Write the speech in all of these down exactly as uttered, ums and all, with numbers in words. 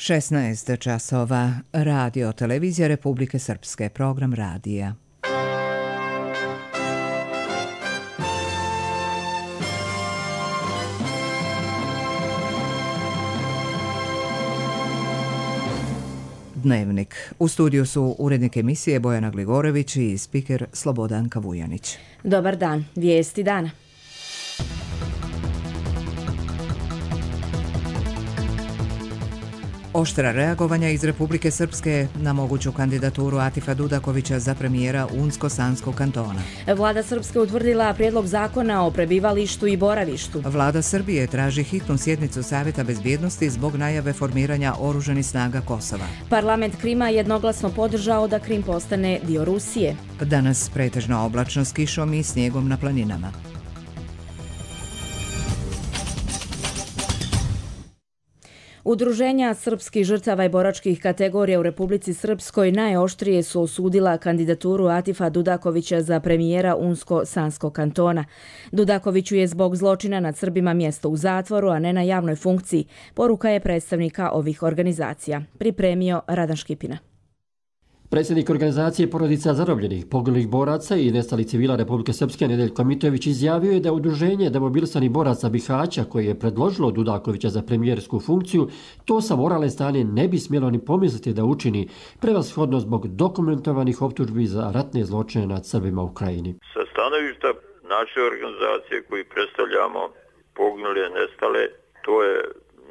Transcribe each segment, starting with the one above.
šesnaest časova. Radio Televizija Republike Srpske. Program radija. Dnevnik. U studiju su urednik emisije Bojana Gligorević i spiker Slobodanka Vujanić. Dobar dan. Vijesti dana. Oštra reagovanja iz Republike Srpske na moguću kandidaturu Atifa Dudakovića za premijera Unsko-Sanskog kantona. Vlada Srpske utvrdila prijedlog zakona o prebivalištu i boravištu. Vlada Srbije traži hitnu sjednicu Savjeta bezbjednosti zbog najave formiranja oružanih snaga Kosova. Parlament Krima jednoglasno podržao da Krim postane dio Rusije. Danas pretežno oblačno s kišom i snijegom na planinama. Udruženja srpskih žrtava i boračkih kategorija u Republici Srpskoj najoštrije su osudila kandidaturu Atifa Dudakovića za premijera Unsko-Sanskog kantona. Dudakoviću je zbog zločina nad Srbima mjesto u zatvoru, a ne na javnoj funkciji, poruka je predstavnika ovih organizacija. Pripremio Radan Škipina. Predsjednik organizacije porodica zarobljenih, poginulih boraca i nestalih civila Republike Srpske Nedeljko Mitović izjavio je da udruženje demobilisanih boraca Bihaća koje je predložilo Dudakovića za premijersku funkciju, to sa moralne strane ne bi smjelo ni pomisliti da učini, prevashodno zbog dokumentovanih optužbi za ratne zločine nad Srbima u Krajini. Sa stanovišta naše organizacije koji predstavljamo poginule, nestale, to je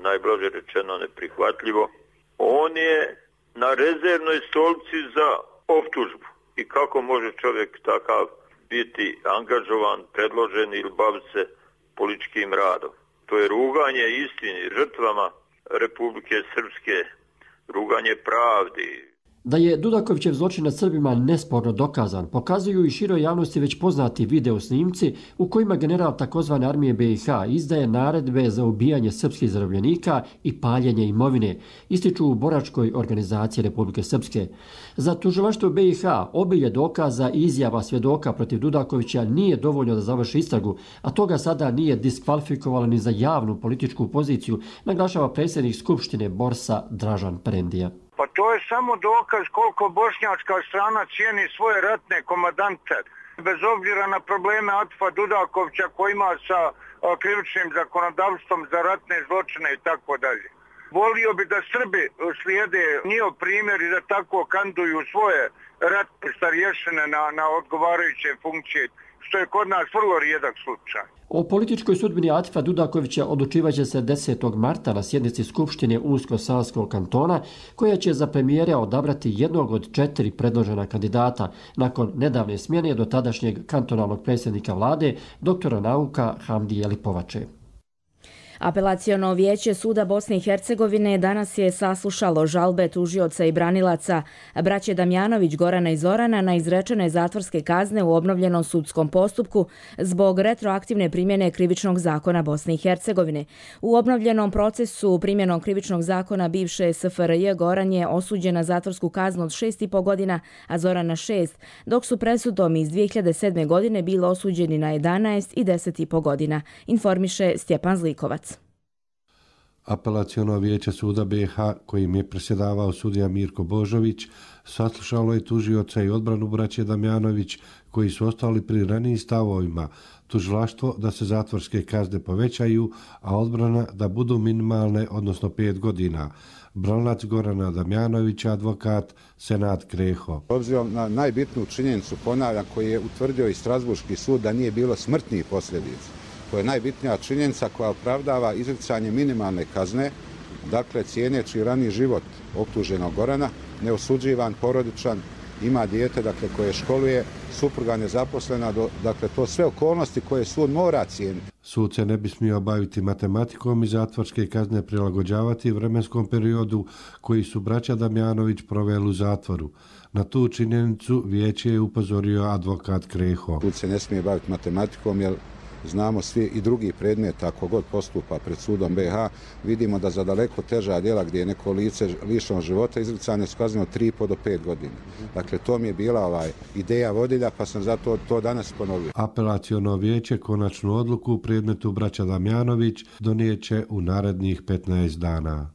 najblaže rečeno neprihvatljivo. On je na rezervnoj stolici za optužbu. I kako može čovjek takav biti angažovan, predložen ili baviti se političkim radom? To je ruganje istini, žrtvama Republike Srpske, ruganje pravdi. Da je Dudakovićev zločin nad Srbima nesporno dokazan, pokazuju i široj javnosti već poznati video snimci u kojima general takozvane armije B i H izdaje naredbe za ubijanje srpskih zarobljenika i paljenje imovine, ističu u boračkoj organizaciji Republike Srpske. Za tužilaštvo B i H obilje dokaza i izjava svjedoka protiv Dudakovića nije dovoljno da završi istragu, a toga sada nije diskvalifikovalo ni za javnu političku poziciju, naglašava predsjednik Skupštine Borsa Dražan Prendija. Pa to je samo dokaz koliko bošnjačka strana cijeni svoje ratne komadante. Bez obzira na probleme Atifa Dudakovića koji ima sa krivičnim zakonodavstvom za ratne zločine i tako dalje. Volio bi da Srbi slijede njihov primjer i da tako kanduju svoje ratne starješine na, na odgovarajuće funkcije, što je kod nas vrlo rijedak slučaj. O političkoj sudbini Atifa Dudakovića odlučivaće se desetog marta na sjednici Skupštine Unsko-Sanskog kantona, koja će za premijera odabrati jednog od četiri predložena kandidata nakon nedavne smjene do tadašnjeg kantonalnog predsjednika vlade, doktora nauka Hamdije Lipovače. Apelaciono vijeće Suda Bosne i Hercegovine danas je saslušalo žalbe tužioca i branilaca braće Damjanović, Gorana i Zorana na izrečene zatvorske kazne u obnovljenom sudskom postupku zbog retroaktivne primjene krivičnog zakona Bosne i Hercegovine. U obnovljenom procesu primjenom krivičnog zakona bivše S F R J Goran je osuđen na zatvorsku kaznu od šest i po godina, a Zoran na šest, dok su presudom iz dvije hiljade sedme. godine bili osuđeni na jedanaest i deset i po godina, informiše Stjepan Zlikovac. Apelaciono vijeće Suda B i H, kojim je predsjedavao sudija Mirko Božović, saslušalo je tužioca i odbranu braće Damjanović, koji su ostali pri ranijim stavovima, tužilaštvo da se zatvorske kazne povećaju, a odbrana da budu minimalne, odnosno pet godina. Branilac Gorana Damjanovića, advokat Senad Kreho. Obzirom na najbitniju činjenicu, ponavljam, koji je utvrdio i Strasburški sud da nije bilo smrtnih posljedica. To je najbitnija činjenica koja opravdava izricanje minimalne kazne, dakle cijeneći raniji život optuženog Gorana, neosuđivan, porodičan, ima dijete dakle, koje školuje, supruga nezaposlena, dakle to sve okolnosti koje sud mora cijeniti. Sud se ne bi smio baviti matematikom i zatvorske kazne prilagođavati vremenskom periodu koji su braća Damjanović proveli u zatvoru. Na tu činjenicu vijeće je upozorio advokat Kreho. Sud se ne smije baviti matematikom jer znamo svi i drugi predmet, ako god postupa pred sudom B i H, vidimo da za daleko teža djela gdje je neko lice lišeno života izricane su kazne od tri i po do pet godina. Dakle, to mi je bila ovaj ideja vodilja, pa sam zato to danas ponovio. Apelaciono vijeće konačnu odluku u predmetu braća Damjanović donijeće u narednih petnaest dana.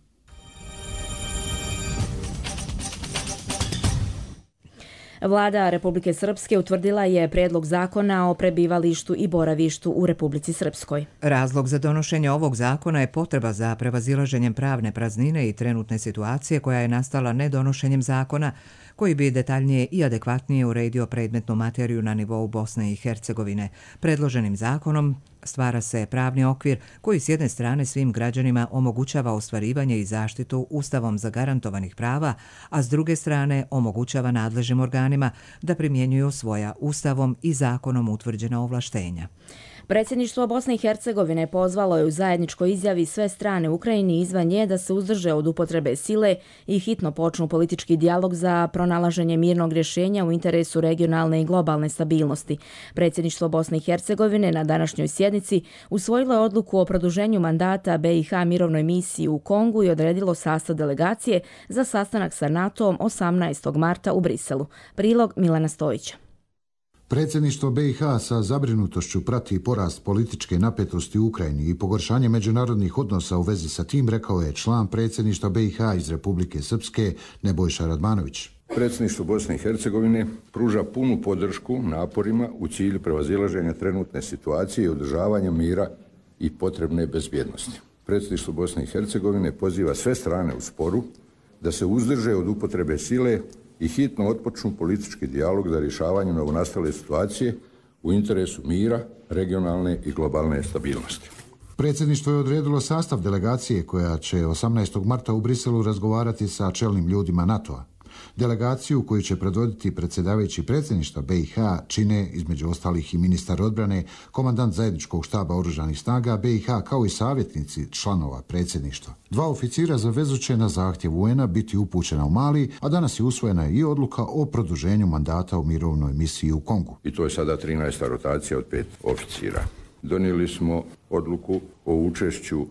Vlada Republike Srpske utvrdila je predlog zakona o prebivalištu i boravištu u Republici Srpskoj. Razlog za donošenje ovog zakona je potreba za prevazilaženjem pravne praznine i trenutne situacije koja je nastala nedonošenjem zakona koji bi detaljnije i adekvatnije uredio predmetnu materiju na nivou Bosne i Hercegovine. Predloženim zakonom stvara se pravni okvir koji s jedne strane svim građanima omogućava ostvarivanje i zaštitu Ustavom zagarantovanih prava, a s druge strane omogućava nadležnim organima da primjenjuju svoja Ustavom i zakonom utvrđena ovlaštenja. Predsjedništvo Bosne i Hercegovine pozvalo je u zajedničkoj izjavi sve strane u Ukrajini izvan nje da se uzdrže od upotrebe sile i hitno počnu politički dijalog za pronalaženje mirnog rješenja u interesu regionalne i globalne stabilnosti. Predsjedništvo Bosne i Hercegovine na današnjoj sjednici usvojilo je odluku o produženju mandata B i H mirovnoj misiji u Kongu i odredilo sastav delegacije za sastanak sa NATO-om osamnaestog marta u Briselu. Prilog Milana Stojića. Predsjedništvo B i H sa zabrinutošću prati porast političke napetosti u Ukrajini i pogoršanje međunarodnih odnosa u vezi sa tim, rekao je član predsjedništva B i H iz Republike Srpske Nebojša Radmanović. Predsjedništvo Bosne i Hercegovine pruža punu podršku naporima u cilju prevazilaženja trenutne situacije i održavanja mira i potrebne bezbjednosti. Predsjedništvo Bosne i Hercegovine poziva sve strane u sporu da se uzdrže od upotrebe sile i hitno otpočnu politički dijalog za rješavanje novonastale situacije u interesu mira, regionalne i globalne stabilnosti. Predsjedništvo je odredilo sastav delegacije koja će osamnaestog marta u Briselu razgovarati sa čelnim ljudima NATO-a. Delegaciju koju će predvoditi predsjedavajući predsjedništva B i H čine između ostalih i ministar odbrane, komandant zajedničkog štaba oružanih snaga B i H kao i savjetnici članova predsjedništva. Dva oficira za vezu će na zahtjev U N a biti upućena u Mali, a danas je usvojena i odluka o produženju mandata u mirovnoj misiji u Kongu. I to je sada trinaesta rotacija od pet oficira. Donijeli smo odluku o učešću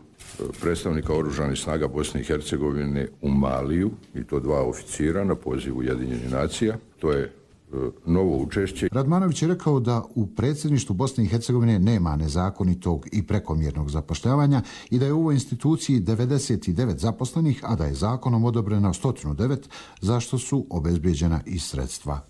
predstavnika oružanih snaga Bosne i Hercegovine u Maliju, i to dva oficira na poziv Ujedinjenih nacija. To je e, novo učešće. Radmanović je rekao da u predsjedništvu Bosne i Hercegovine nema nezakonitog i prekomjernog zapošljavanja i da je u ovoj instituciji devedeset devet zaposlenih, a da je zakonom odobreno sto devet, za što su obezbeđena i sredstva.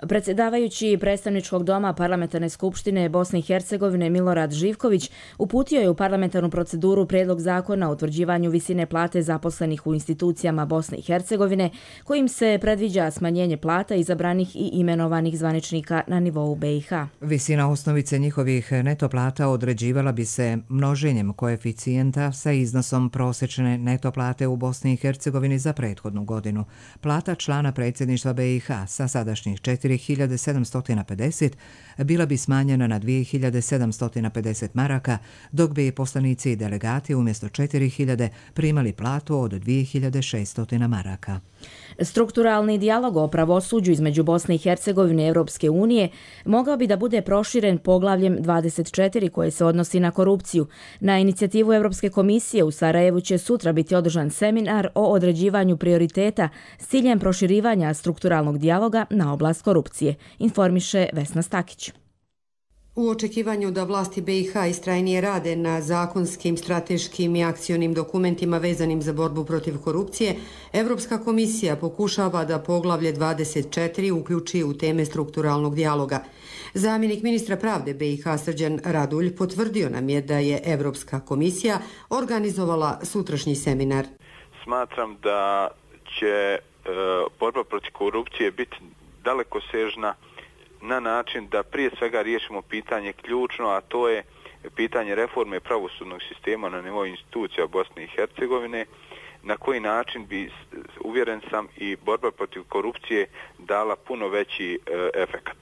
Predsjedavajući predstavničkog doma Parlamentarne skupštine Bosne i Hercegovine Milorad Živković uputio je u parlamentarnu proceduru prijedlog zakona o utvrđivanju visine plate zaposlenih u institucijama Bosne i Hercegovine, kojim se predviđa smanjenje plata izabranih i imenovanih zvaničnika na nivou B i H. Visina osnovice njihovih neto plata određivala bi se množenjem koeficijenta sa iznosom prosječne neto plate u Bosni i Hercegovini za prethodnu godinu. Plata člana predsjedništva B i H sa sadašnjih četiri hiljade sedamsto pedeset bila bi smanjena na dvije hiljade sedamsto pedeset maraka, dok bi poslanici i delegati umjesto četiri hiljade primali platu od dvije hiljade šesto maraka. Strukturalni dijalog o pravosuđu između Bosne i Hercegovine i Europske unije mogao bi da bude proširen poglavljem dvadeset četiri koje se odnosi na korupciju. Na inicijativu Europske komisije u Sarajevu će sutra biti održan seminar o određivanju prioriteta s ciljem proširivanja strukturalnog dijaloga na oblast korupcije, informiše Vesna Stakić. U očekivanju da vlasti B i H istrajnije rade na zakonskim, strateškim i akcionim dokumentima vezanim za borbu protiv korupcije, Europska komisija pokušava da poglavlje dvadeset četiri uključi u teme strukturalnog dijaloga. Zamjenik ministra pravde B i H Srđan Radulj potvrdio nam je da je Europska komisija organizovala sutrašnji seminar. Smatram da će e, borba protiv korupcije biti dalekosežna na način da prije svega riješimo pitanje ključno, a to je pitanje reforme pravosudnog sistema na nivou institucija Bosne i Hercegovine, na koji način bi, uvjeren sam, i borba protiv korupcije dala puno veći e, efekat.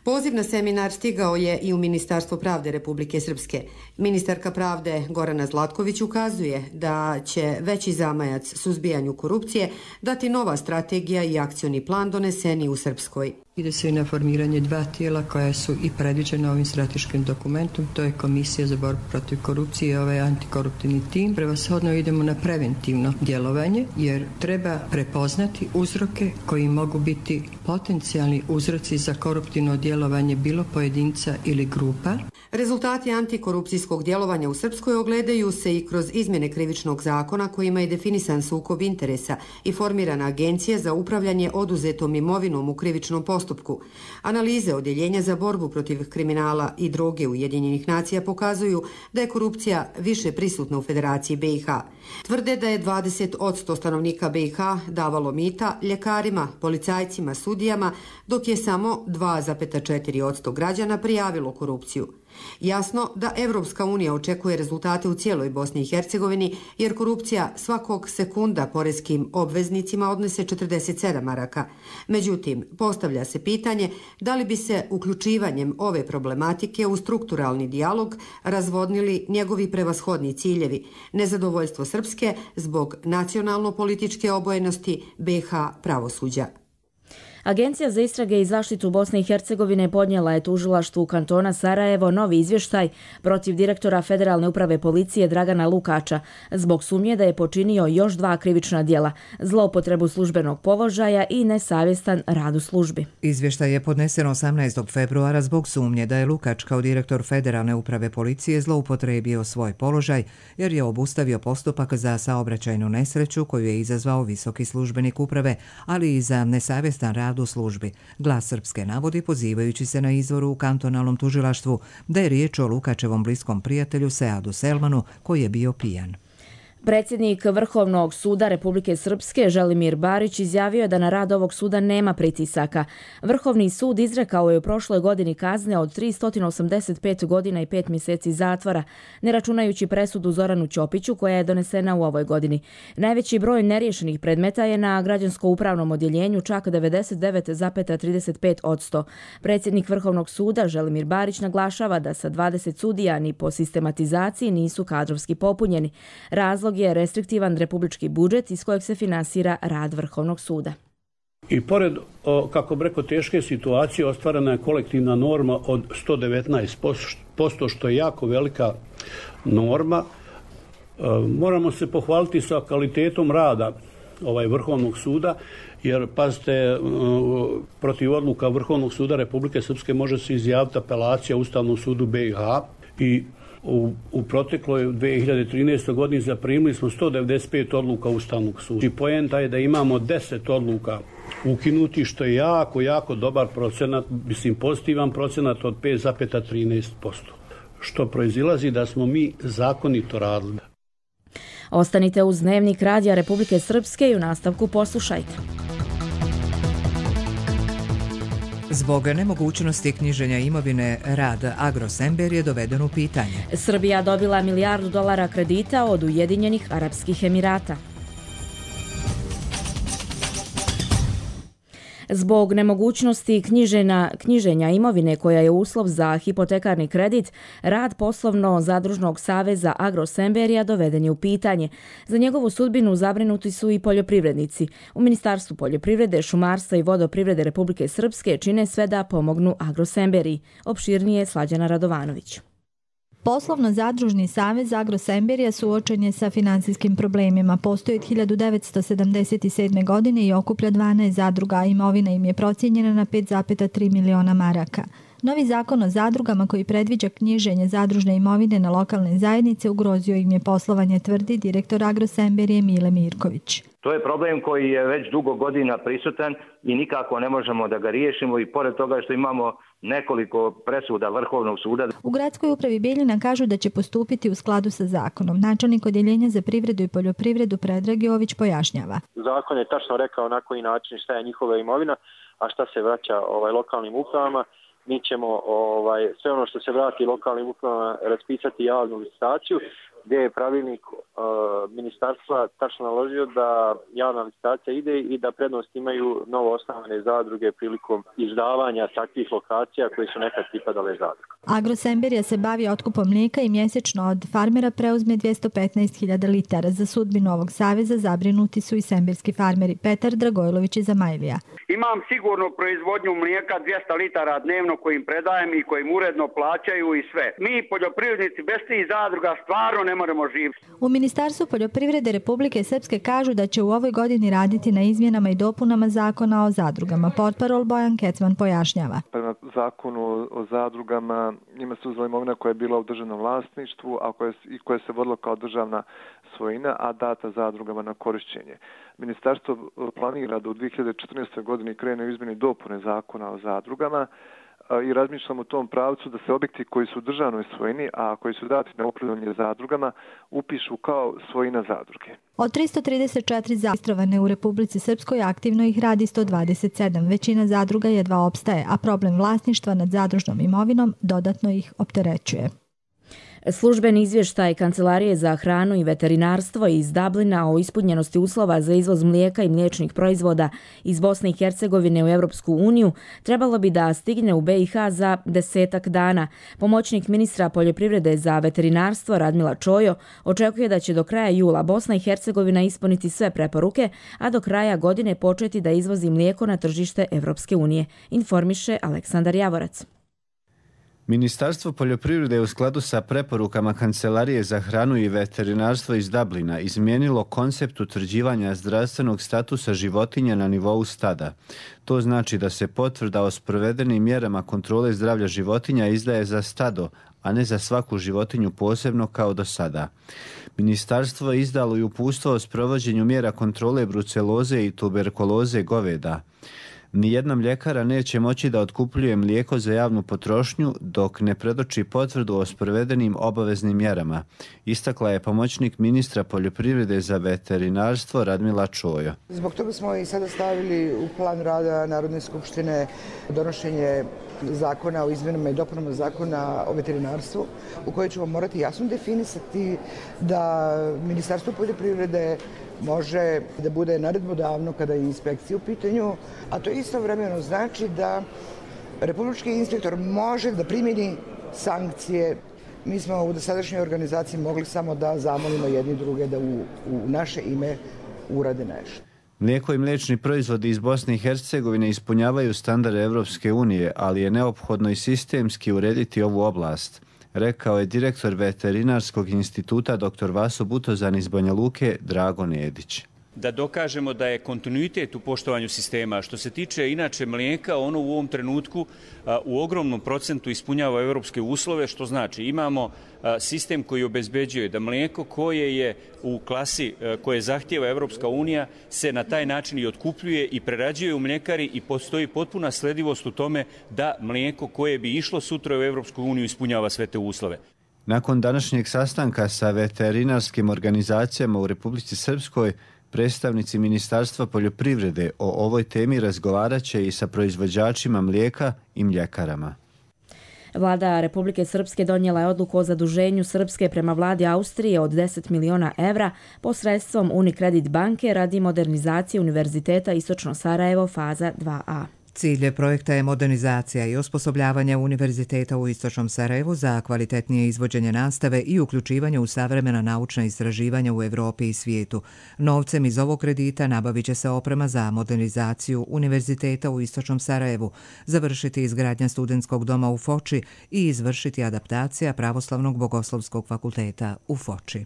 Poziv na seminar stigao je i u Ministarstvo pravde Republike Srpske. Ministarka pravde Gorana Zlatković ukazuje da će veći zamajac suzbijanju korupcije dati nova strategija i akcioni plan doneseni u Srpskoj. Ide se i na formiranje dva tijela koja su i predviđena ovim strateškim dokumentom, to je Komisija za borbu protiv korupcije i ovaj antikoruptivni tim. Prevashodno idemo na preventivno djelovanje jer treba prepoznati uzroke koji mogu biti potencijalni uzroci za koruptivno djelovanje bilo pojedinca ili grupa. Rezultati antikorupcijskog djelovanja u Srpskoj ogledaju se i kroz izmjene krivičnog zakona kojima je definisan sukob interesa i formirana agencija za upravljanje oduzetom imovinom u krivičnom postupku. Analize Odjeljenja za borbu protiv kriminala i droge Ujedinjenih nacija pokazuju da je korupcija više prisutna u Federaciji B i H. Tvrde da je dvadeset posto stanovnika B i H davalo mita ljekarima, policajcima, sudijama, dok je samo dva zarez četiri posto građana prijavilo korupciju. Jasno da Evropska unija očekuje rezultate u cijeloj Bosni i Hercegovini, jer korupcija svakog sekunda poreskim obveznicima odnese četrdeset sedam maraka. Međutim, postavlja se pitanje da li bi se uključivanjem ove problematike u strukturalni dijalog razvodnili njegovi prevashodni ciljevi, nezadovoljstvo Srpske zbog nacionalno-političke obojenosti B i H pravosuđa. Agencija za istrage i zaštitu Bosne i Hercegovine podnijela je tužilaštvu kantona Sarajevo novi izvještaj protiv direktora Federalne uprave policije Dragana Lukača zbog sumnje da je počinio još dva krivična djela, zloupotrebu službenog položaja i nesavjestan rad u službi. Izvještaj je podnesen osamnaestog februara zbog sumnje da je Lukač kao direktor Federalne uprave policije zloupotrebio svoj položaj jer je obustavio postupak za saobraćajnu nesreću koju je izazvao visoki službenik uprave, ali i za nesavjestan rad u službi. Glas Srpske navodi, pozivajući se na izvoru u kantonalnom tužilaštvu, da je riječ o Lukačevom bliskom prijatelju Seadu Selmanu koji je bio pijan. Predsjednik Vrhovnog suda Republike Srpske Želimir Barić izjavio je da na rad ovog suda nema pritisaka. Vrhovni sud izrekao je u prošloj godini kazne od tristo osamdeset pet godina i pet mjeseci zatvora, ne računajući presudu Zoranu Ćopiću koja je donesena u ovoj godini. Najveći broj neriješenih predmeta je na građansko-upravnom odjeljenju, čak devedeset devet zarez trideset pet posto. Predsjednik Vrhovnog suda Želimir Barić naglašava da sa dvadeset sudija ni po sistematizaciji nisu kadrovski popunjeni. Razlog je restriktivan republički budžet iz kojeg se finansira rad Vrhovnog suda. I pored, kako bi rekao, teške situacije ostvarena je kolektivna norma od sto devetnaest posto, što je jako velika norma. Moramo se pohvaliti sa kvalitetom rada ovaj Vrhovnog suda, jer, pazite, protiv odluka Vrhovnog suda Republike Srpske može se izjaviti apelacija Ustavnom sudu B i H i U, u protekloj dvije hiljade trinaestoj godini zaprimili smo sto devedeset pet odluka Ustavnog suda. I poenta je da imamo deset odluka ukinuti, što je jako, jako dobar procenat, mislim pozitivan procenat od pet zarez trinaest posto, što proizilazi da smo mi zakonito radili. Ostanite uz Dnevnik Radija Republike Srpske i u nastavku poslušajte. Zbog nemogućnosti knjiženja imovine, rad Agrosember je doveden u pitanje. Srbija dobila milijardu dolara kredita od Ujedinjenih Arapskih Emirata. Zbog nemogućnosti knjižena, knjiženja imovine koja je uslov za hipotekarni kredit, rad poslovno-zadružnog saveza Agrosemberija doveden je u pitanje. Za njegovu sudbinu zabrinuti su i poljoprivrednici. U Ministarstvu poljoprivrede, šumarstva i vodoprivrede Republike Srpske čine sve da pomognu Agrosemberiji. Opširnije Slađana Radovanović. Poslovno-zadružni savez Agrosemberija suočen je sa finansijskim problemima. Postoji od hiljadu devetsto sedamdeset sedme. godine i okuplja dvanaest zadruga, a imovina im je procijenjena na pet zarez tri miliona maraka. Novi zakon o zadrugama koji predviđa knjiženje zadružne imovine na lokalne zajednice ugrozio im je poslovanje, tvrdi direktor Agrosemberije Mile Mirković. To je problem koji je već dugo godina prisutan i nikako ne možemo da ga riješimo, i pored toga što imamo nekoliko presuda Vrhovnog suda. U gradskoj upravi Bijeljina kažu da će postupiti u skladu sa zakonom. Načelnik odjeljenja za privredu i poljoprivredu Predrag Jović pojašnjava. Zakon je tačno rekao na koji način šta je njihova imovina, a šta se vraća ovaj lokalnim upravama. Mi ćemo ovaj, sve ono što se vrati lokalnim upravama raspisati javnu licitaciju, gdje je pravilnik uh, ministarstva tačno naložio da javna licitacija ide i da prednost imaju novo osnovane zadruge prilikom izdavanja takvih lokacija koje su nekad pripadale zadruga. Agrosemberija se bavi otkupom mlijeka i mjesečno od farmera preuzme dvjesto petnaest hiljada litara. Za sudbinu ovog saveza zabrinuti su i semberski farmeri. Petar Dragojlović iz Zamajlija. Imam sigurno proizvodnju mlijeka dvjesto litara dnevno kojim predajem i kojim uredno plaćaju i sve. Mi poljoprivrednici bez tih zadruga stvarno ne možemo živjeti. U Ministarstvu poljoprivrede Republike Srpske kažu da će u ovoj godini raditi na izmjenama i dopunama zakona o zadrugama. Portparol Bojan Kecman pojašnjava. Prema zakonu o zadrugama njima se uzela imovina koja je bila u državnom vlasništvu, a koja, i koja se vodila kao državna svojina, a data zadrugama na korišćenje. Ministarstvo planira da u dvije hiljade četrnaestoj godini krene u izmjeni dopune zakona o zadrugama i razmišljamo u tom pravcu da se objekti koji su u državnoj svojini, a koji su dati na upravljanje zadrugama, upišu kao svojina zadruge. Od tristo trideset četiri registrovane u Republici Srpskoj aktivno ih radi sto dvadeset sedam. Većina zadruga jedva opstaje, a problem vlasništva nad zadružnom imovinom dodatno ih opterećuje. Službeni izvještaj Kancelarije za hranu i veterinarstvo iz Dublina o ispunjenosti uslova za izvoz mlijeka i mliječnih proizvoda iz Bosne i Hercegovine u Europsku uniju trebalo bi da stigne u be i ha za desetak dana. Pomoćnik ministra poljoprivrede za veterinarstvo Radmila Čojo očekuje da će do kraja jula Bosna i Hercegovina ispuniti sve preporuke, a do kraja godine početi da izvozi mlijeko na tržište Europske unije, informiše Aleksandar Javorac. Ministarstvo poljoprivrede je u skladu sa preporukama Kancelarije za hranu i veterinarstvo iz Dublina izmijenilo koncept utvrđivanja zdravstvenog statusa životinja na nivou stada. To znači da se potvrda o sprovedenim mjerama kontrole zdravlja životinja izdaje za stado, a ne za svaku životinju posebno kao do sada. Ministarstvo je izdalo i uputstvo o sprovođenju mjera kontrole bruceloze i tuberkuloze goveda. Nijedna mljekara neće moći da otkupljuje mlijeko za javnu potrošnju dok ne predoči potvrdu o sprovedenim obaveznim mjerama, istakla je pomoćnik ministra poljoprivrede za veterinarstvo Radmila Čojo. Zbog toga smo i sada stavili u plan rada Narodne skupštine donošenje zakona o izmjenama i dopunama zakona o veterinarstvu, u kojoj ćemo morati jasno definisati da Ministarstvo poljoprivrede može da bude naredbodavno kada je inspekcija u pitanju, a to istovremeno znači da republički inspektor može da primjeni sankcije. Mi smo u dosadašnjoj organizaciji mogli samo da zamolimo jedni druge da u, u naše ime urade nešto. Mlijeko i mliječni proizvodi iz Bosne i Hercegovine ispunjavaju standarde Europske unije, ali je neophodno i sistemski urediti ovu oblast, rekao je direktor Veterinarskog instituta dr. Vaso Butozan iz Banja Luke Drago Nedić. Da dokažemo da je kontinuitet u poštovanju sistema. Što se tiče inače mlijeka, ono u ovom trenutku a, u ogromnom procentu ispunjava europske uslove, što znači imamo a, sistem koji obezbeđuje da mlijeko koje je u klasi a, koje zahtijeva Europska unija se na taj način i otkupljuje i prerađuje u mljekari i postoji potpuna sledivost u tome da mlijeko koje bi išlo sutra u Europsku uniju ispunjava sve te uslove. Nakon današnjeg sastanka sa veterinarskim organizacijama u Republici Srpskoj, predstavnici Ministarstva poljoprivrede o ovoj temi razgovarat će i sa proizvođačima mlijeka i mljekarama. Vlada Republike Srpske donijela je odluku o zaduženju Srpske prema vladi Austrije od deset miliona evra posredstvom Unicredit banke radi modernizacije Univerziteta Istočno Sarajevo faza dva a. Cilj projekta je modernizacija i osposobljavanje Univerziteta u Istočnom Sarajevu za kvalitetnije izvođenje nastave i uključivanje u savremena naučna istraživanja u Evropi i svijetu. Novcem iz ovog kredita nabavit će se oprema za modernizaciju Univerziteta u Istočnom Sarajevu, završiti izgradnja studentskog doma u Foči i izvršiti adaptacija Pravoslavnog bogoslovskog fakulteta u Foči.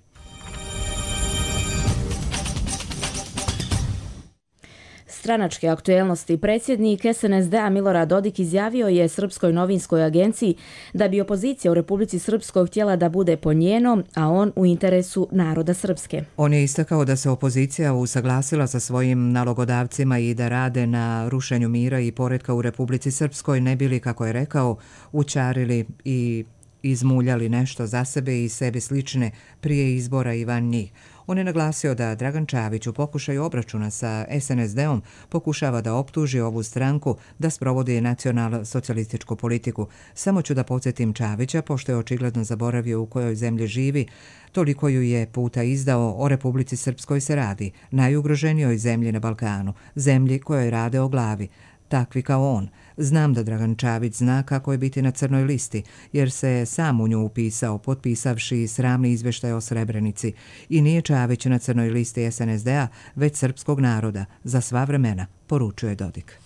Stranačke aktuelnosti. Predsjednik es en es de a Milorad Dodik izjavio je Srpskoj novinskoj agenciji da bi opozicija u Republici Srpskoj htjela da bude po njenom, a on u interesu naroda Srpske. On je istakao da se opozicija usaglasila sa svojim nalogodavcima i da rade na rušenju mira i poretka u Republici Srpskoj, ne bili, kako je rekao, učarili i izmuljali nešto za sebe i sebi slične prije izbora i van njih. On je naglasio da Dragan Čavić u pokušaju obračuna sa es en es de-om pokušava da optuži ovu stranku da sprovodi nacional-socijalističku politiku. Samo ću da podsjetim Čavića, pošto je očigledno zaboravio u kojoj zemlji živi, toliko ju je puta izdao, o Republici Srpskoj se radi, najugroženijoj zemlji na Balkanu, zemlji kojoj rade o glavi. Takvi kao on. Znam da Dragan Čavić zna kako je biti na crnoj listi, jer se je sam u nju upisao, potpisavši sramni izveštaj o Srebrenici. I nije Čavić na crnoj listi es en es de-a, već srpskog naroda, za sva vremena, poručuje Dodik.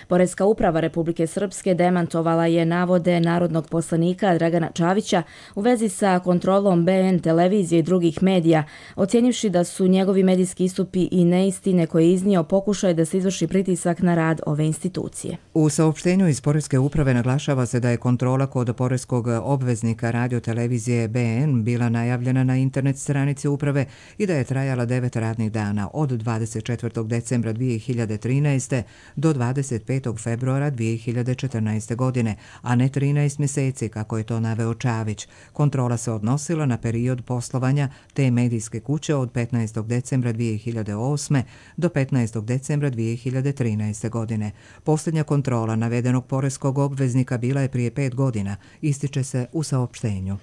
Poreska uprava Republike Srpske demantovala je navode narodnog poslanika Dragana Čavića u vezi sa kontrolom be en televizije i drugih medija, ocjenjivši da su njegovi medijski istupi i neistine koje je iznio pokušaj da se izvrši pritisak na rad ove institucije. U saopštenju iz Poreske uprave naglašava se da je kontrola kod poreskog obveznika radiotelevizije be en bila najavljena na internet stranici uprave i da je trajala devet radnih dana od dvadeset četvrtog decembra dvije hiljade trinaeste. do dvadeset petog februara dvije hiljade četrnaeste. godine, a ne trinaest mjeseci kako je to naveo Čavić. Kontrola se odnosila na period poslovanja te medijske kuće od petnaestog decembra dvije hiljade osme. do petnaestog decembra dvije hiljade trinaeste. godine. Posljednja kontrola navedenog poreskog obveznika bila je prije pet godina, ističe se u saopštenju.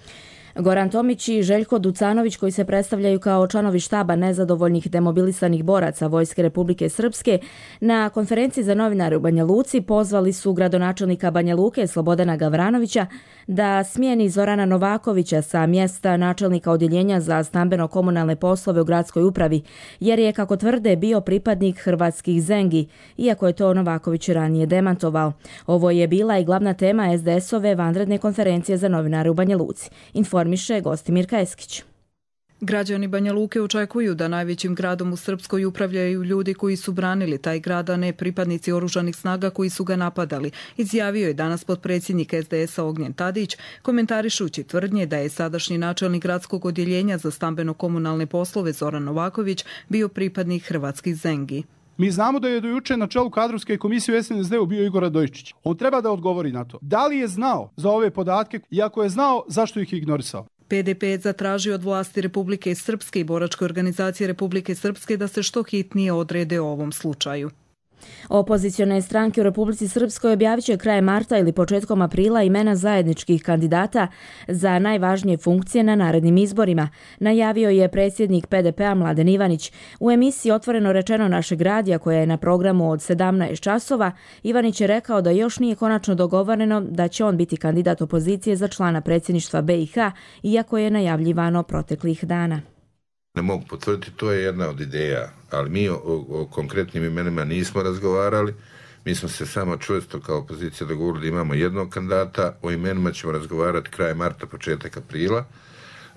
Goran Tomić i Željko Ducanović, koji se predstavljaju kao članovi štaba nezadovoljnih demobilisanih boraca Vojske Republike Srpske, na konferenciji za novinare u Banja Luci pozvali su gradonačelnika Banja Luke Slobodana Gavranovića da smijeni Zorana Novakovića sa mjesta načelnika odjeljenja za stambeno-komunalne poslove u gradskoj upravi, jer je, kako tvrde, bio pripadnik hrvatskih Zengi, iako je to Novaković ranije demantovao. Ovo je bila i glavna tema es de es-ove vanredne konferencije za novinare u Banja Luci. Informiše Gostimirka Eskić. Građani Banja Luke očekuju da najvećim gradom u Srpskoj upravljaju ljudi koji su branili taj grad, a ne pripadnici oružanih snaga koji su ga napadali, izjavio je danas potpredsjednik es de es-a Ognjen Tadić, komentarišući tvrdnje da je sadašnji načelnik gradskog odjeljenja za stambeno-komunalne poslove Zoran Novaković bio pripadnik hrvatskih Zengi. Mi znamo da je do juče na čelu kadrovske komisije u es en es de-u bio Igor Radojičić. On treba da odgovori na to. Da li je znao za ove podatke i ako je znao, zašto ih je ignorisao? pe de pe je zatražio od vlasti Republike Srpske i boračke organizacije Republike Srpske da se što hitnije odrede o ovom slučaju. Opozicione stranke u Republici Srpskoj objavit će krajem marta ili početkom aprila imena zajedničkih kandidata za najvažnije funkcije na narednim izborima, najavio je predsjednik pe de pe-a Mladen Ivanić. U emisiji Otvoreno rečeno našeg radija, koja je na programu od sedamnaest časova, Ivanić je rekao da još nije konačno dogovoreno da će on biti kandidat opozicije za člana predsjedništva be i ha, iako je najavljivano proteklih dana. Ne mogu potvrditi, to je jedna od ideja, ali mi o, o konkretnim imenima nismo razgovarali. Mi smo se samo čvrsto kao opozicija dogovorili da imamo jednog kandidata, o imenima ćemo razgovarati kraj marta, početak aprila.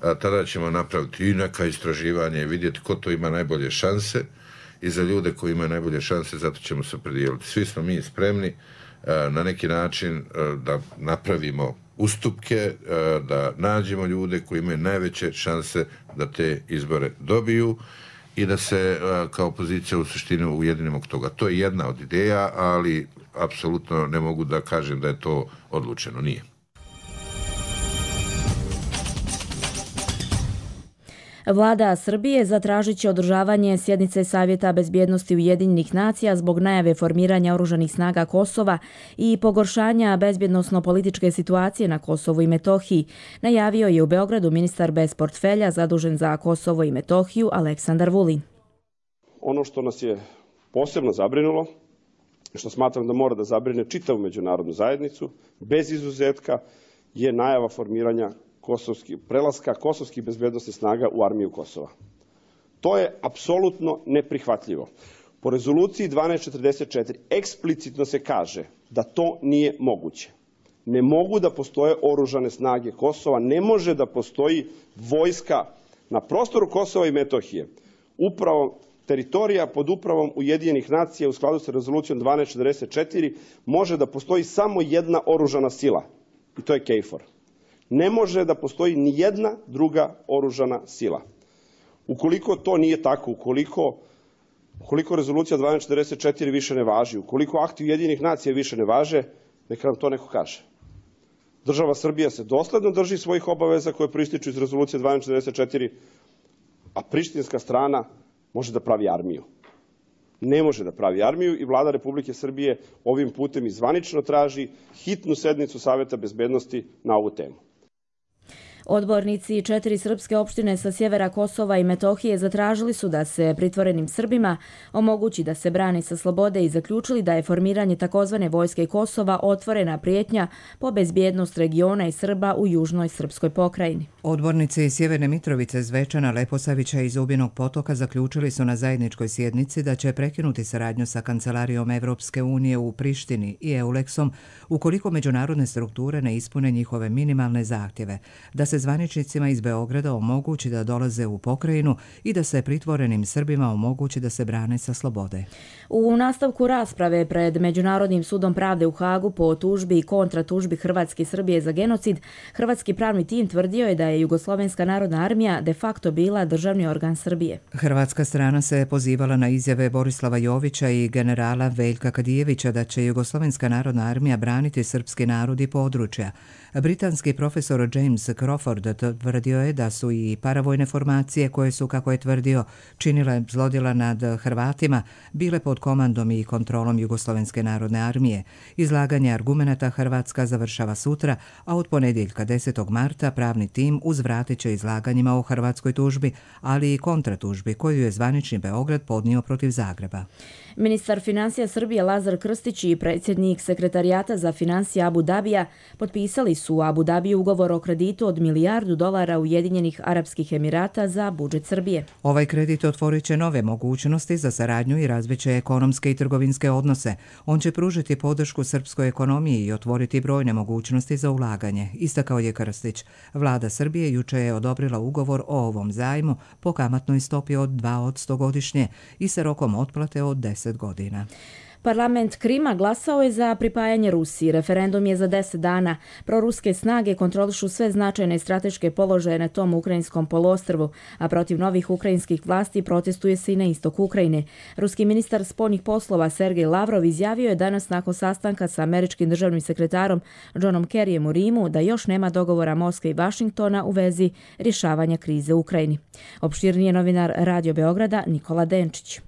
A tada ćemo napraviti i neka istraživanje i vidjeti ko to ima najbolje šanse i za ljude koji imaju najbolje šanse, zato ćemo se opredijeliti. Svi smo mi spremni a, na neki način a, da napravimo ustupke, da nađemo ljude koji imaju najveće šanse da te izbore dobiju i da se kao opozicija u suštini ujedinimo oko toga. To je jedna od ideja, ali apsolutno ne mogu da kažem da je to odlučeno. Nije. Vlada Srbije zatražit će održavanje sjednice Savjeta bezbjednosti Ujedinjenih nacija zbog najave formiranja oružanih snaga Kosova i pogoršanja bezbjednosno-političke situacije na Kosovu i Metohiji, najavio je u Beogradu ministar bez portfelja zadužen za Kosovo i Metohiju Aleksandar Vulin. Ono što nas je posebno zabrinulo, što smatram da mora da zabrine čitavu međunarodnu zajednicu, bez izuzetka, je najava formiranja Kosovski, prelaska kosovskih bezbjednostnih snaga u armiju Kosova. To je apsolutno neprihvatljivo. Po rezoluciji dvanaest četrdeset četiri eksplicitno se kaže da to nije moguće. Ne mogu da postoje oružane snage Kosova, ne može da postoji vojska na prostoru Kosova i Metohije. Upravo teritorija pod upravom Ujedinjenih nacija u skladu sa rezolucijom dvanaest četrdeset četiri može da postoji samo jedna oružana sila i to je KFOR. Ne može da postoji ni jedna druga oružana sila. Ukoliko to nije tako, ukoliko, ukoliko rezolucija dvanaest četrdeset četiri više ne važi, ukoliko akti Ujedinjenih nacija više ne važe, neka nam to neko kaže. Država Srbija se dosledno drži svojih obaveza koje proističu iz rezolucije dvanaest četrdeset četiri. a prištinska strana može da pravi armiju. Ne može da pravi armiju i vlada Republike Srbije ovim putem i zvanično traži hitnu sednicu Saveta bezbednosti na ovu temu. Odbornici četiri srpske opštine sa sjevera Kosova i Metohije zatražili su da se pritvorenim Srbima omogući da se brani sa slobode i zaključili da je formiranje takozvane vojske Kosova otvorena prijetnja po bezbjednost regiona i Srba u južnoj srpskoj pokrajini. Odbornici iz Sjeverne Mitrovice, Zvečana, Leposavića i Zubinog Potoka zaključili su na zajedničkoj sjednici da će prekinuti saradnju sa Kancelarijom Evropske unije u Prištini i Euleksom ukoliko međunarodne strukture ne ispune njihove minimalne zahtjeve, da se zvaničnicima iz Beograda omogući da dolaze u pokrajinu i da se pritvorenim Srbima omogući da se brane sa slobode. U nastavku rasprave pred Međunarodnim sudom pravde u Hagu po tužbi i kontratužbi Hrvatske i Srbije za genocid, hrvatski pravni tim tvrdio je da je Jugoslovenska narodna armija de facto bila državni organ Srbije. Hrvatska strana se pozivala na izjave Borislava Jovića i generala Veljka Kadijevića da će Jugoslovenska narodna armija braniti srpski narod i područja. Britanski profesor James Crawford tvrdio je da su i paravojne formacije koje su, kako je tvrdio, činile zlodjela nad Hrvatima, bile pod komandom i kontrolom Jugoslovenske narodne armije. Izlaganje argumenata Hrvatska završava sutra, a od ponedjeljka desetog marta pravni tim uzvratit će izlaganjima o hrvatskoj tužbi, ali i kontratužbi koju je zvanični Beograd podnio protiv Zagreba. Ministar financija Srbije Lazar Krstić i predsjednik sekretarijata za financije Abu Dabija potpisali su u Abu Dabiju ugovor o kreditu od milijardu dolara Ujedinjenih Arapskih Emirata za budžet Srbije. Ovaj kredit otvorit će nove mogućnosti za saradnju i razviće ekonomske i trgovinske odnose. On će pružiti podršku srpskoj ekonomiji i otvoriti brojne mogućnosti za ulaganje, istakao je Krstić. Vlada Srbije juče je odobrila ugovor o ovom zajmu po kamatnoj stopi od dva posto godišnje i sa rokom otplate od deset godina. Parlament Krima glasao je za pripajanje Rusiji. Referendum je za deset dana. Proruske snage kontrolišu sve značajne strateške položaje na tom ukrajinskom poluostrvu, a protiv novih ukrajinskih vlasti protestuje se i na istoku Ukrajine. Ruski ministar spoljnih poslova Sergej Lavrov izjavio je danas nakon sastanka sa američkim državnim sekretarom Johnom Kerryjem u Rimu da još nema dogovora Moskve i Vašingtona u vezi rješavanja krize u Ukrajini. Opširnije novinar Radio Beograda Nikola Denčić.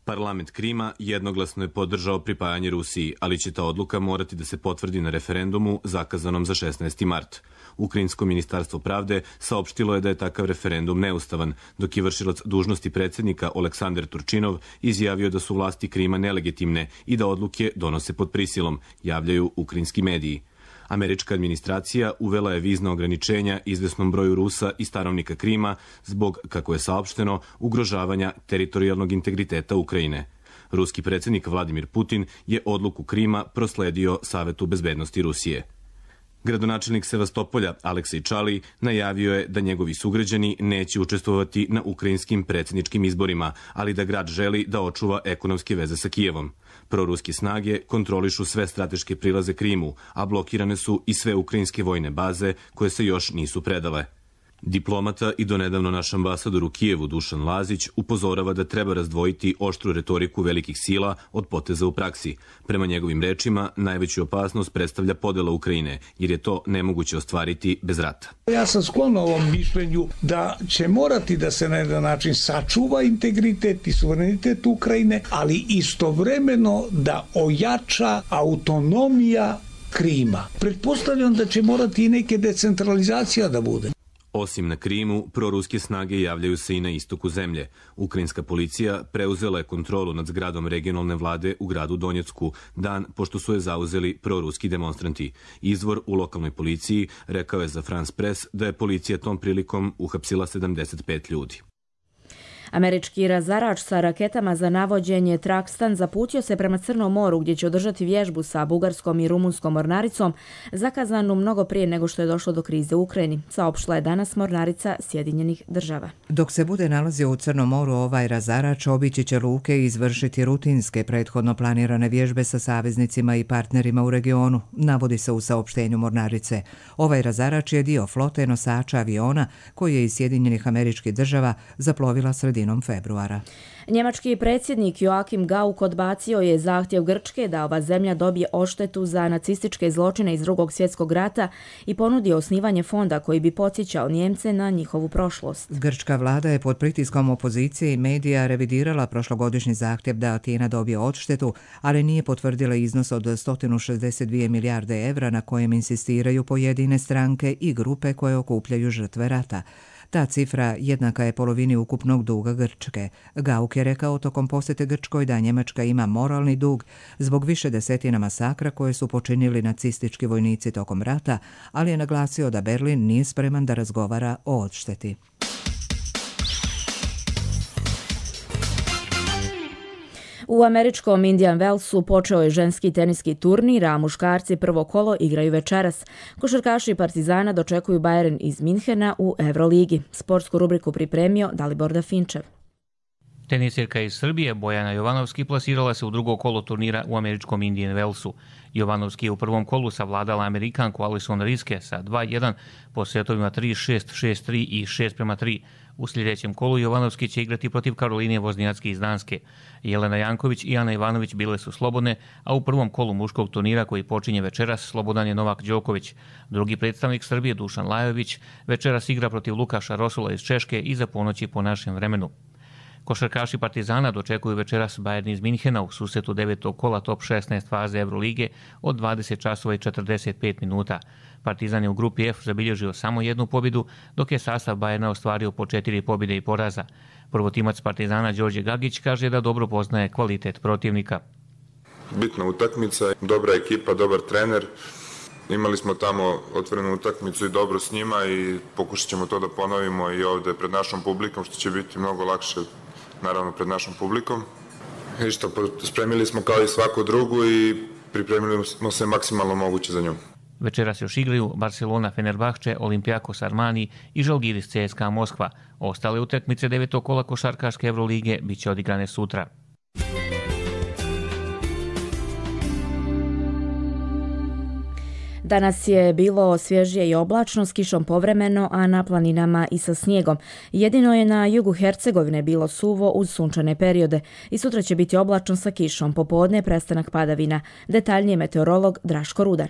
Parlament Krima jednoglasno je podržao pripajanje Rusiji, ali će ta odluka morati da se potvrdi na referendumu zakazanom za šesnaesti mart. Ukrajinsko ministarstvo pravde saopštilo je da je takav referendum neustavan, dok je vršilac dužnosti predsjednika Oleksandar Turčinov izjavio da su vlasti Krima nelegitimne i da odluke donose pod prisilom, javljaju ukrajinski mediji. Američka administracija uvela je vizna ograničenja izvesnom broju Rusa i stanovnika Krima zbog, kako je saopšteno, ugrožavanja teritorijalnog integriteta Ukrajine. Ruski predsjednik Vladimir Putin je odluku Krima prosledio Savetu bezbednosti Rusije. Gradonačelnik Sevastopolja Aleksej Čali najavio je da njegovi sugrađani neće učestvovati na ukrajinskim predsjedničkim izborima, ali da grad želi da očuva ekonomske veze sa Kijevom. Proruske snage kontrolišu sve strateške prilaze Krimu, a blokirane su i sve ukrajinske vojne baze koje se još nisu predale. Diplomata i donedavno naš ambasador u Kijevu Dušan Lazić upozorava da treba razdvojiti oštru retoriku velikih sila od poteza u praksi. Prema njegovim rečima, najveću opasnost predstavlja podela Ukrajine, jer je to nemoguće ostvariti bez rata. Ja sam sklon ovom mišljenju da će morati da se na jedan način sačuva integritet i suverenitet Ukrajine, ali istovremeno da ojača autonomija Krima. Pretpostavljam da će morati i neke decentralizacija da bude. Osim na Krimu, proruske snage javljaju se i na istoku zemlje. Ukrajinska policija preuzela je kontrolu nad zgradom regionalne vlade u gradu Donjecku, dan pošto su je zauzeli proruski demonstranti. Izvor u lokalnoj policiji rekao je za France Press da je policija tom prilikom uhapsila sedamdeset pet ljudi. Američki razarač sa raketama za navođenje Trakstan zaputio se prema Crnom moru gdje će održati vježbu sa bugarskom i rumunskom mornaricom, zakazanu mnogo prije nego što je došlo do krize u Ukrajini, saopštila je danas mornarica Sjedinjenih država. Dok se bude nalazio u Crnom moru, ovaj razarač obići će luke i izvršiti rutinske prethodno planirane vježbe sa saveznicima i partnerima u regionu, navodi se u saopštenju mornarice. Ovaj razarač je dio flote nosača aviona koji je iz Sjedinjenih Američkih država zaplovila sredinom sredinom februara. Njemački predsjednik Joachim Gauck odbacio je zahtjev Grčke da ova zemlja dobije odštetu za nacističke zločine iz Drugog svjetskog rata i ponudio osnivanje fonda koji bi podsjećao Njemce na njihovu prošlost. Grčka vlada je pod pritiskom opozicije i medija revidirala prošlogodišnji zahtjev da Atina dobije odštetu, ali nije potvrdila iznos od sto šezdeset dvije milijarde evra na kojem insistiraju pojedine stranke i grupe koje okupljaju žrtve rata. Ta cifra jednaka je polovini ukupnog duga Grčke. Gauck je rekao tokom posjete Grčkoj da Njemačka ima moralni dug zbog više desetina masakra koje su počinili nacistički vojnici tokom rata, ali je naglasio da Berlin nije spreman da razgovara o odšteti. U američkom Indian Wellsu počeo je ženski teniski turnir, a muškarci prvo kolo igraju večeras. Košarkaši Partizana dočekuju Bayern iz Minhena u Euroligi. Sportsku rubriku pripremio Dalibor Dafinčev. Tenisirka iz Srbije Bojana Jovanovski plasirala se u drugo kolo turnira u američkom Indian Wellsu. Jovanovski je u prvom kolu savladala Amerikanku Alison Riske sa dva jedan po setovima tri šest, šest tri i šest prema tri. U sljedećem kolu Jovanovski će igrati protiv Karoline Voznjacki iz Danske. Jelena Janković i Ana Ivanović bile su slobodne, a u prvom kolu muškog turnira koji počinje večeras slobodan je Novak Đoković. Drugi predstavnik Srbije Dušan Lajović večeras igra protiv Lukaša Rosula iz Češke iza ponoći po našem vremenu. Košarkaši Partizana dočekuju večeras Bayern iz Minhena u susretu devetog kola top šesnaest faze Eurolige od dvadeset časova i četrdeset pet minuta. Partizan je u grupi F zabilježio samo jednu pobjedu, dok je sastav Bayerna ostvario po četiri pobjede i poraza. Prvotimac Partizana Đorđe Gagić kaže da dobro poznaje kvalitet protivnika. Bitna utakmica, dobra ekipa, dobar trener. Imali smo tamo otvorenu utakmicu i dobro s njima i pokušat ćemo to da ponovimo i ovde pred našom publikom, što će biti mnogo lakše, naravno pred našom publikom. I što, spremili smo kao i svaku drugu i pripremili smo se maksimalno moguće za nju. Večeras još igraju Barcelona, Fenerbahče, Olympiakos Armani i Žalgiris C S K A Moskva. Ostale utakmice devetog kola košarkaške Evrolige bit će odigrane sutra. Danas je bilo svježije i oblačno s kišom povremeno, a na planinama i sa snijegom. Jedino je na jugu Hercegovine bilo suvo uz sunčane periode i sutra će biti oblačno sa kišom, popodne prestanak padavina. Detaljnije meteorolog Draško Rudan.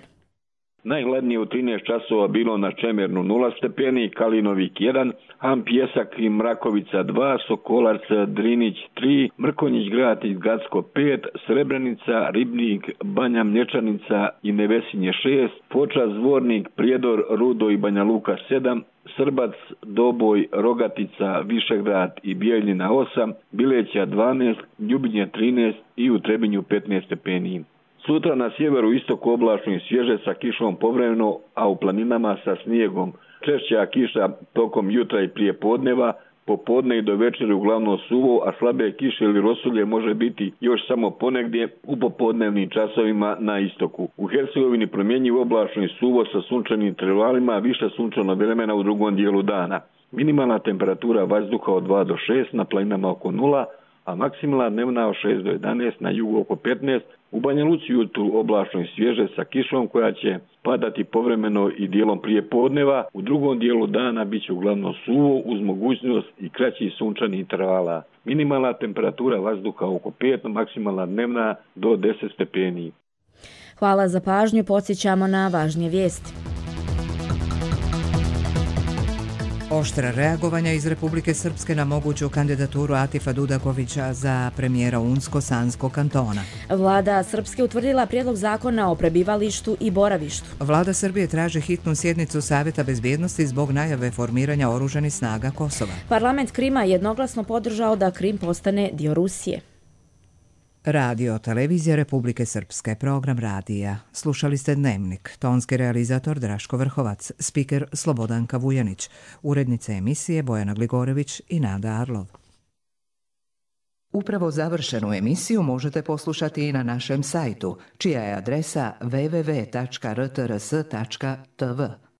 Najhladnije u trinaest časova bilo na Čemernu nula stepeni, Kalinovik jedan, Ham Pjesak i Mrakovica dva, Sokolac Drinić tri, Mrkonjić Grad i Gacko pet, Srebrenica, Ribnik, Banja Mlječanica i Nevesinje šest, Foča, Zvornik, Prijedor, Rudo i Banja Luka sedam, Srbac, Doboj, Rogatica, Višegrad i Bijeljina osam, Bileća dvanaest, Ljubinje trinaest i u Trebinju petnaest stepeni. Sutra na sjeveru istoku oblačno i svježe sa kišom povremeno, a u planinama sa snijegom. Češća kiša tokom jutra i prije podneva, popodne i do večeri uglavnom suvo, a slabe kiše ili rosulje može biti još samo ponegdje u popodnevnim časovima na istoku. U Hercegovini promjenjivo oblačno i suvo sa sunčanim intervalima, više sunčano vremena u drugom dijelu dana. Minimalna temperatura vazduha od dva do šest, na planinama oko nula, a maksimalna dnevna od šest do jedanaest, na jugu oko petnaest, u Banja Luci jutru oblačno i svježe sa kišom koja će padati povremeno i dijelom prije podneva, u drugom dijelu dana bit će uglavnom suvo uz mogućnost i kraćih sunčanih intervala. Minimalna temperatura vazduha oko pet, maksimalna dnevna do deset stepeni. Hvala za pažnju, podsjećamo na važnije vijesti. Oštra reagovanja iz Republike Srpske na moguću kandidaturu Atifa Dudakovića za premijera Unsko-Sanskog kantona. Vlada Srpske utvrdila prijedlog zakona o prebivalištu i boravištu. Vlada Srbije traži hitnu sjednicu Savjeta bezbjednosti zbog najave formiranja oružanih snaga Kosova. Parlament Krima jednoglasno podržao da Krim postane dio Rusije. Radio Televizija Republike Srpske, program radija. Slušali ste Dnevnik, tonski realizator Draško Vrhovac, spiker Slobodanka Vujanić, urednice emisije Bojana Gligorević i Nada Arlov. Upravo završenu emisiju možete poslušati i na našem sajtu, čija je adresa w w w tačka r t r s tačka t v.